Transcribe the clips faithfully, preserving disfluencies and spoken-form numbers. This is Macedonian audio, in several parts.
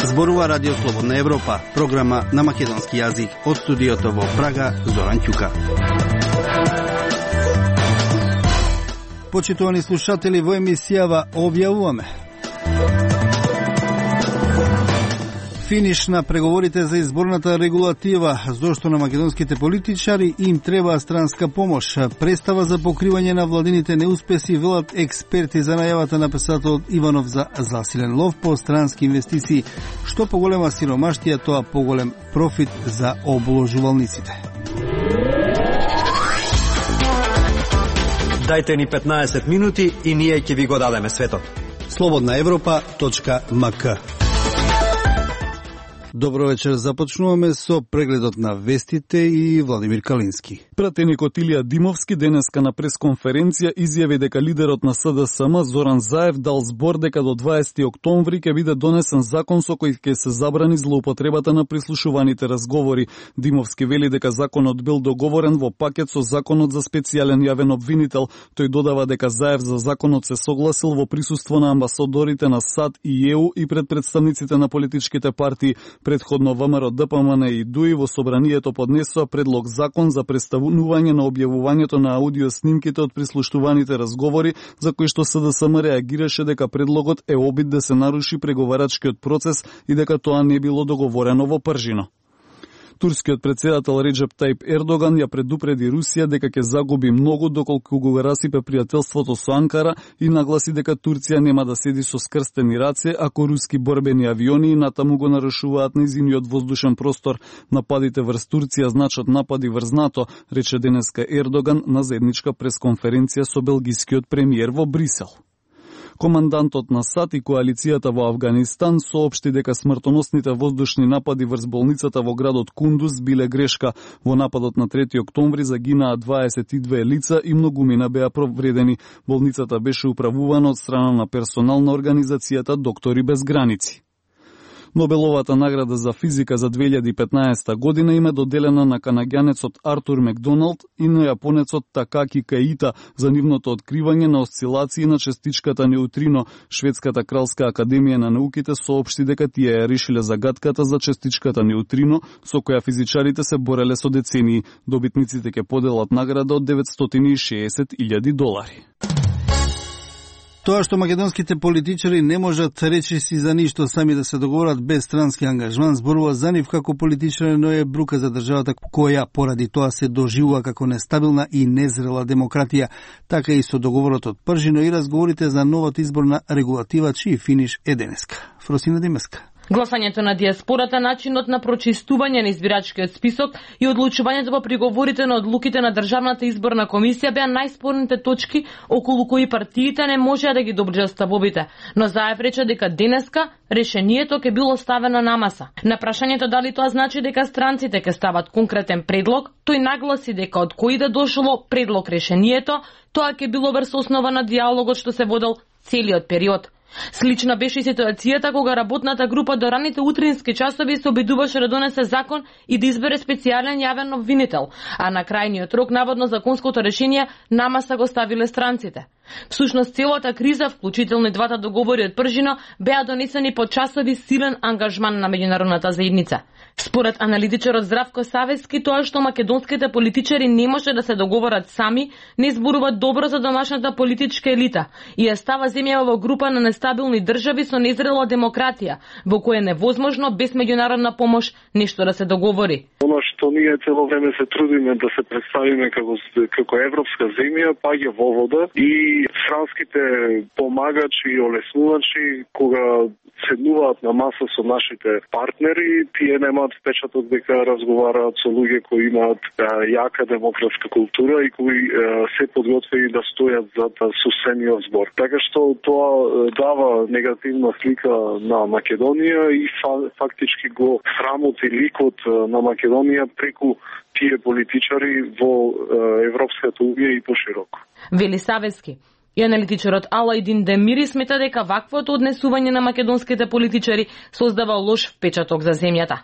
Зборува Радио Слободна Европа, програма на македонски јазик од студиото во Прага, Зоран Ќука. Почитувани слушатели, во емисијава објавуваме финиш на преговорите за изборната регулатива, зошто на македонските политичари им треба странска помош. Представа за покривање на владините неуспеси, велат експерти за најавата на писателот Иванов за засилен лов по странски инвестиции. Што поголема сиромаштија, тоа поголем профит за обложувалниците. Дајте ни петнаесет минути и ние ќе ви го дадеме светот. слободна европа точка ем ка. Добро вечер, започнуваме со прегледот на вестите и Владимир Калински. Пратеникот Илија Димовски денеска на пресконференција изјави дека лидерот на С Д С М Зоран Заев дал збор дека до дваесети октомври ќе биде донесен закон со кој ќе се забрани злоупотребата на прислушуваните разговори. Димовски вели дека законот бил договорен во пакет со законот за специјален јавен обвинител. Тој додава дека Заев за законот се согласил во присуство на амбасадорите на САД и Е У и пред представниците на политичките партии. Предходно ВМРО, Д П М Н и ДУИ во собранието поднесоа предлог закон за представување на објавувањето на аудио снимките од прислуштуваните разговори, за кои што С Д С М реагираше дека предлогот е обид да се наруши преговарачкиот процес и дека тоа не било договорено во пржино. Турскиот председател Реджеп Тајип Ердоган ја предупреди Русија дека ќе загуби многу доколку го расипе пријателството со Анкара и нагласи дека Турција нема да седи со скрстени раце ако руски борбени авиони натаму го нарушуваат нејзиниот воздушен простор. Нападите врз Турција значат напади врз НАТО, рече денеска Ердоган на заедничка пресконференција со белгискиот премиер во Брисел. Командантот на САД и коалицијата во Авганистан соопшти дека смртоносните воздушни напади врз болницата во градот Кундуз биле грешка. Во нападот на трети октомври загинаа дваесет и две лица и многумина беа повредени. Болницата беше управувана од страна на персонал на организацијата Доктори без граници. Нобеловата награда за физика за две илјади и петнаесета година им е доделена на канаѓанецот Артур Макдоналд и на јапонецот Такаки Каита за нивното откривање на осцилации на частичката неутрино. Шведската кралска академија на науките соопшти дека тие ја решиле загадката за частичката неутрино, со која физичарите се бореле со децении. Добитниците ќе поделат награда од деветстотини и шеесет илјади долари. Тоа што македонските политичари не можат речиси за ништо сами да се договорат без странски ангажман, зборува за нив како политичари, но е брука за државата која поради тоа се доживува како нестабилна и незрела демократија. Така и со договорот од пржино и разговорите за новата изборна регулатива, чиј финиш е денеска. Фросина Демеска. Гласањето на диаспората, начинот на прочистување на избирачкиот список и одлучувањето по приговорите на одлуките на Државната изборна комисија беа најспорните точки околу кои партиите не можеа да ги доближат ставовите. Но Заев рече дека денеска решението ќе било ставено на маса. На прашањето дали тоа значи дека странците ќе стават конкретен предлог, тој нагласи дека од кој да дошло предлог решението, тоа ќе било врз основа на диалогот што се водел целиот период. Слична беше ситуацијата кога работната група до раните утрински часови се обидуваше да донесе закон и да избере специјален јавен обвинител, а на крајниот рок наводно законското решение намаса го ставиле странците. Всушност целата криза, вклучително и двата договори од пржино, беа донесени по часови силен ангажман на меѓународната заедница. Според аналитичарот Здравко Савески, тоа што македонските политичари не може да се договорат сами, не зборува добро за домашната политичка елита и ја става земјава во група на нестабилни држави со незрела демократија, во која е невозможно без меѓународна помош нешто да се договори. Оно што ние цело време се трудиме да се представиме како како европска земја, паѓа во вода и странските помагачи и олеснувачи кога седнуваат на маса со нашите партнери, тие немаат впечаток дека разговараат со луѓе кои имаат а, јака демократска култура и кои а, се подготвени да стојат за сусениот збор. Така што тоа дава негативна слика на Македонија и фа, фактички го срамоти ликот на Македонија преку тие политичари во Европската унија и пошироко. Вели Савески. И аналитичарот Алајдин Демири смета дека ваквото однесување на македонските политичари создава лош впечаток за земјата.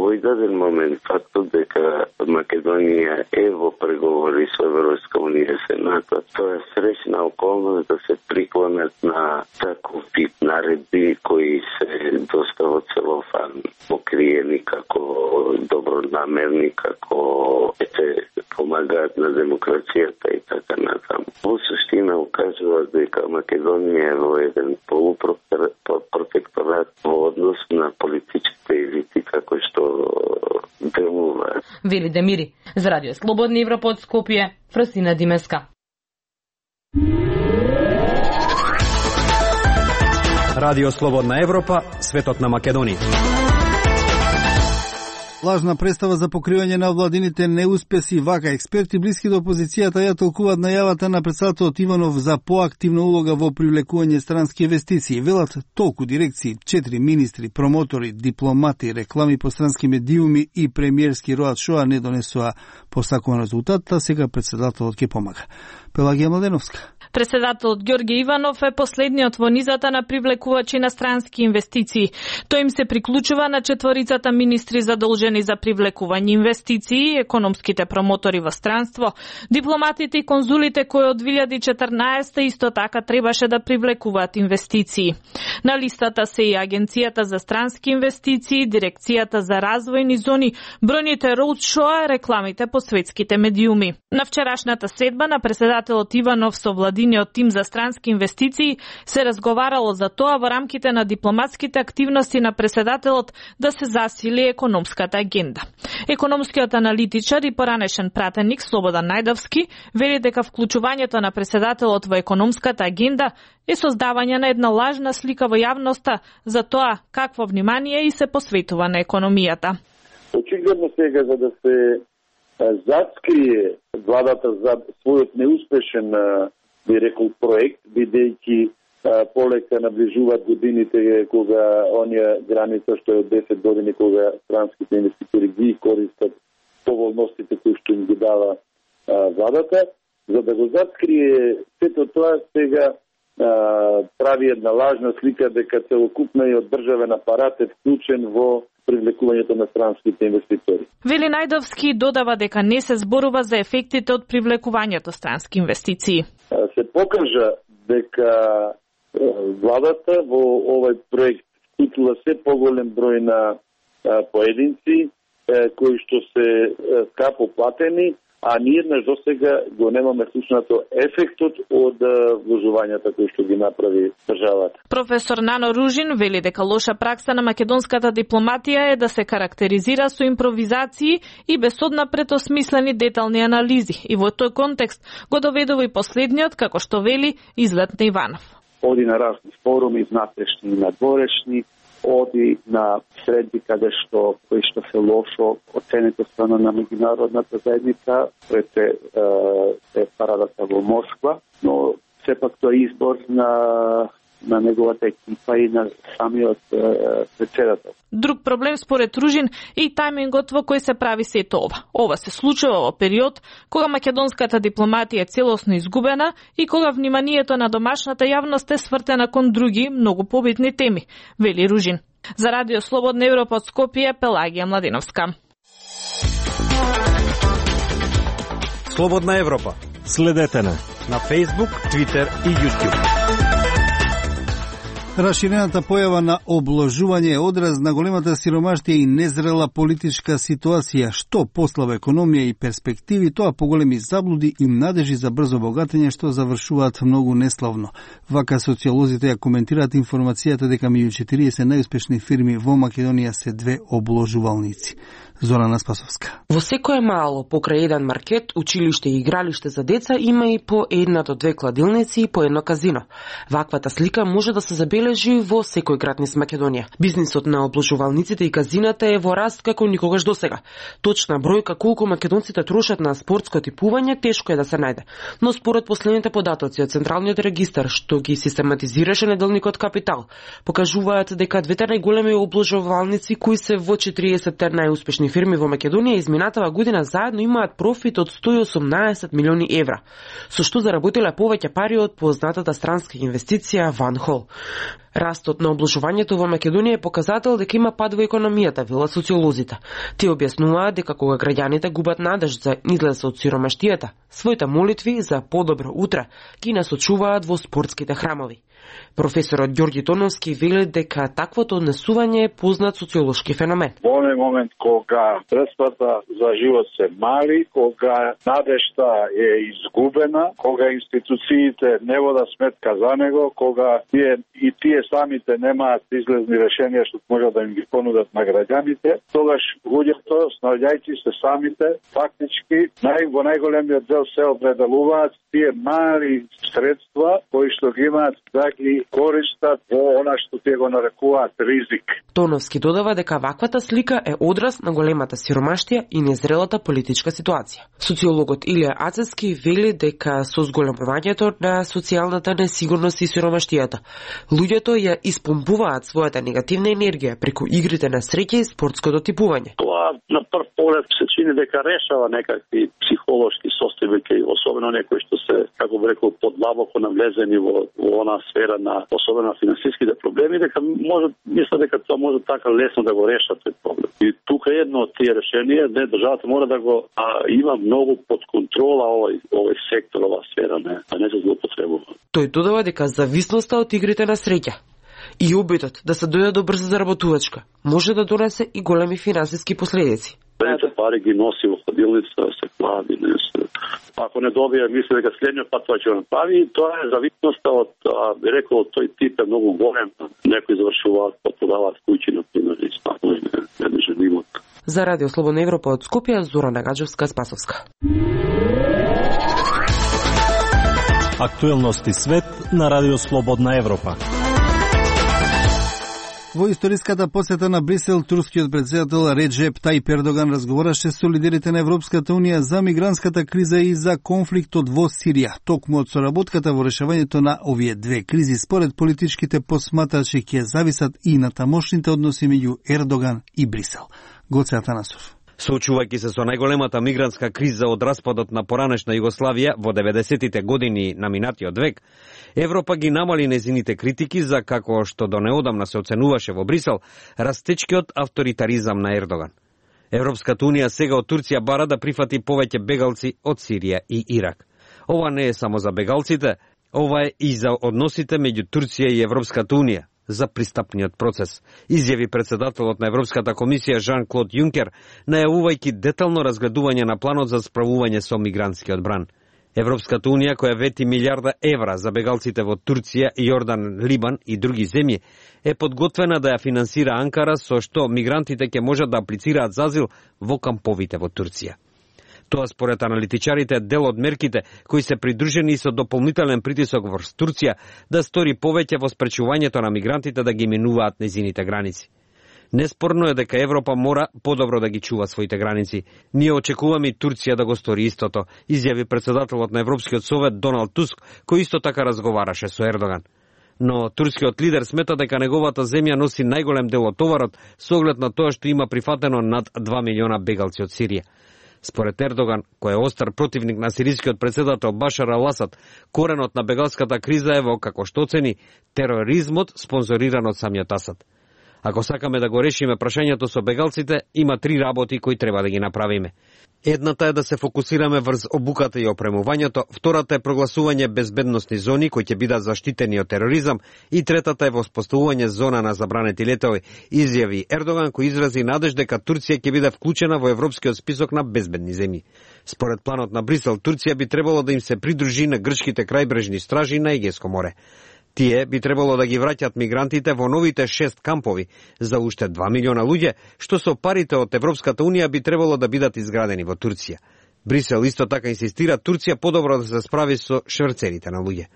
овој даден момент фактот дека Македонија е во преговори со Европска унија и Сената, тоа е среќна околност да се приклонат на таков тип наредби кои се доста во целофан покриени како добронамерни, како ете помагаат на демокрацијата и така натаму. Во суштина укажува дека Македонија е во еден полупротекторат во однос на политичките елити како што делуваат. Вели Демири. За Радио Слободна Европа од Скопје, Фрасина Димеска. Радио Слободна Европа, светот на Македонија. Лажна представа за покривање на владините неуспеси, вака експерти блиски до опозицијата ја толкуваат најавата на претседателот Иванов за поактивна улога во привлекување странски инвестиции. Велат толку дирекции, четири министри, промотори, дипломати, реклами по странски медиуми и премиерски роат шоа не донесоа посакуван резултат, а сега претседателот ќе помага. Пелагија Младеновска. Председателот Ѓорѓе Иванов е последниот во низата на привлекувачи на странски инвестиции. Тој им се приклучува на четворицата министри задолжени за привлекување инвестиции, економските промотори во странство, дипломатите и конзулите кои од две илјади и четрнаесета исто така требаше да привлекуваат инвестиции. На листата се и Агенцијата за странски инвестиции, Дирекцијата за развојни зони, бројните роудшоа, рекламите по светските медиуми. На вчерашната следба на председателот Иванов со владиниот тим за странски инвестиции се разговарало за тоа во рамките на дипломатските активности на председателот да се засили економската агенда. Економскиот аналитичар и поранешен пратеник Слободан Најдовски вели дека вклучувањето на председателот во економската агенда е создавање на една лажна слика во јавноста за тоа какво внимание и се посветува на економијата. Очигледно сега за да се заскрие владата за својот неуспешен, би рекол, проект, бидејќи полека наближуваат годините кога онија граница што е од десет години кога странските инвеститори ги користат поволностите кои што им ги дава а, владата, за да го заскрие сето тоа сега а, прави една лажна слика дека целокупниот државен апарат е вклучен во привлекувањето на странските инвеститори. Вели Најдовски додава дека не се зборува за ефектите од привлекувањето странски инвестиции. Се покажа дека владата во овој проект вклучува се поголем број на поединци кои што се скапо платени, а ние еднаш до сега го немаме слушнато ефектот од вложувањата кои што ги направи државата. Професор Нано Ружин вели дека лоша пракса на македонската дипломатија е да се карактеризира со импровизации и без однапред осмислени детални анализи. И во тој контекст го доведува и последниот, како што вели, излет на Иванов. Оди на разни форуми, внатрешни и надворешни, оди на средби каде што кои што се лошо оценето страна на меѓународната заедница пред е, е парадата во Москва, но сепак тоа е избор на на неговата екипа и на самиот е, председател. Друг проблем според Ружин е и тајмингот во кој се прави сето ова. Ова се случува во период кога македонската дипломатија е целосно изгубена и кога вниманието на домашната јавност е свртена кон други, многу побитни теми, вели Ружин. За Радио Слободна Европа од Скопје, Пелагија Младеновска. Слободна Европа. Следете на на Facebook, Twitter и YouTube. Раширената појава на обложување е одраз на големата сиромаштија и незрела политичка ситуација, што послаба економија и перспективи, тоа поголеми заблуди и надежи за брзо богатење што завршуваат многу неславно. Вака социолозите ја коментираат информацијата дека меѓу четириесет најуспешни фирми во Македонија се две обложувалници. Зорана Спасовска. Во секое мало, покрај еден маркет, училиште и игралиште за деца, има и по една до две кладилници и по едно казино. Ваквата слика може да се забележи во секој град низ Македонија. Бизнисот на обложувалниците и казината е во раст како никогаш досега. Точна бројка колку македонците трошат на спортско типување тешко е да се најде. Но според последните податоци од Централниот регистар, што ги систематизираше неделникот Капитал, покажуваат дека двете најголеми обложувалници кои се во четириесетте најуспешни строителни фирми во Македонија изминатава година заедно имаат профит од сто и осумнаесет милиони евра, со што заработиле повеќе пари од познатата странска инвестиција Ван Хол. Растот на обложувањето во Македонија е показател дека има пад во економијата, велат социолозите. Тие објаснуваат дека кога граѓаните губат надеж за излез од сиромаштијата, своите молитви за подобро утре ги насочуваат во спортските храмови. Професорот Ѓорѓи Тоновски вели дека таквото однесување е познат социолошки феномен. Во оној момент кога средствата за живот се мали, кога надежта е изгубена, кога институциите не водат сметка за него, кога тие и тие самите немаат излезни решенија што можат да им ги понудат на граѓаните, тогаш луѓето, снаоѓајќи се самите, фактички нај во најголемиот дел се определуваат тие мали средства кои што ги имаат да ги користат во она што тие го нарекуваат ризик. Тоновски додава дека ваквата слика е одраз на големата сиромаштија и незрелата политичка ситуација. Социологот Илија Ацевски вели дека со зголемувањето на социјалната несигурност и сиромаштијата, луѓето ја испомпуваат својата негативна енергија преку игрите на среќа и спортското типување. Тоа на прв поглед се чини дека решава некакви психолошки состојби, особено некои што се, како би рекол, подлабоко навлезени во, во она сфера на особено финансиските проблеми, дека може, мисля дека тоа може така лесно да го решат тој проблем. И тука едно од тие решенија, не, државата мора да го а, има многу под контрола овој овој сектор, ова сфера, не, а не се злоупотребува. Тој додава дека зависноста од игрите на среќа и обидот да се дојде до брза заработувачка може да донесе и големи финансиски последици. Пете пари ги носи во хладилница, се клади, не се. Ако не добие, мисли дека следниот пат тоа ќе го направи, тоа е зависноста од, би рекол, тој тип е многу голем. Некои завршуваат, продаваат куќи, например, и станови, не, не женимот. За Радио Слободна Европа од Скопје, Зора Нагаджевска-Спасовска. Актуелности свет на Радио Слободна Европа. Во историската посета на Брисел, турскиот претседател Реджеп Тајип Ердоган разговараше со лидерите на Европската унија за мигрантската криза и за конфликтот во Сирија. Токму од соработката во решавањето на овие две кризи, според политичките посматрачи, ќе зависат и на тамошните односи меѓу Ердоган и Брисел. Гоце Атанасов. Соочувајќи се со најголемата мигрантска криза од распадот на поранешна Југославија во деветдесетите години на минатиот век, Европа ги намали незините критики за, како што до неодамна се оценуваше во Брисел, растечкиот авторитаризам на Ердоган. Европската унија сега од Турција бара да прифати повеќе бегалци од Сирија и Ирак. Ова не е само за бегалците, ова е и за односите меѓу Турција и Европската унија, за пристапниот процес, изјави председателот на Европската комисија Жан-Клод Јункер, најавувајќи детално разгледување на планот за справување со мигрантскиот бран. Европската унија, која вети милиарда евра за бегалците во Турција, Јордан, Либан и други земји, е подготвена да ја финансира Анкара, со што мигрантите ќе можат да аплицираат за азил во камповите во Турција. Тоа според аналитичарите е дел од мерките кои се придружени со дополнителен притисок врз Турција да стори повеќе во спречувањето на мигрантите да ги минуваат незините граници. Неспорно е дека Европа мора подобро да ги чува своите граници. Ние очекуваме и Турција да го стори истото, изјави председателот на Европскиот совет Доналд Туск, кој исто така разговараше со Ердоган. Но турскиот лидер смета дека неговата земја носи најголем дел од товарот со оглед на тоа што има прифатено над два милиона бегалци од Сирија. Според Ердоган, кој е остар противник на сирискиот председател Башар ал-Асад, коренот на бегалската криза е во, како што оцени, тероризмот спонзориран од самиот Асад. Ако сакаме да го решиме прашањето со бегалците, има три работи кои треба да ги направиме. Едната е да се фокусираме врз обуката и опремувањето, втората е прогласување безбедносни зони кои ќе бидат заштитени од тероризам и третата е воспоставување зона на забранети летови, изјави Ердоган, кој изрази надеж дека Турција ќе биде вклучена во европскиот список на безбедни земји. Според планот на Брисел, Турција би требало да им се придружи на грчките крајбрежни стражи на Егејско море. Тие би требало да ги враќат мигрантите во новите шест кампови за уште два милиона луѓе, што со парите од Европската унија би требало да бидат изградени во Турција. Брисел исто така инсистира Турција подобро да се справи со шверцерите на луѓе.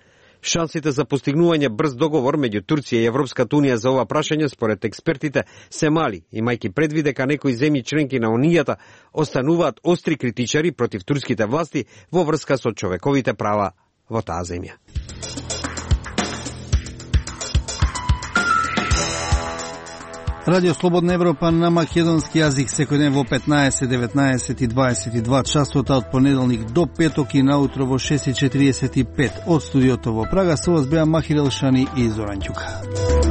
Шансите за постигнување брз договор меѓу Турција и Европската унија за ова прашање според експертите се мали, имајќи предвид дека некои земји членки на унијата остануваат остри критичари против турските власти во врска со човековите права во таа земја. Радио Слободна Европа на македонски јазик секој ден во петнаесет, деветнаесет и дваесет и два часота од понеделник до петок и наутро во шест и четириесет и пет од студиото во Прага. Со вас беа Махир Елшани и Зоран Ѓука.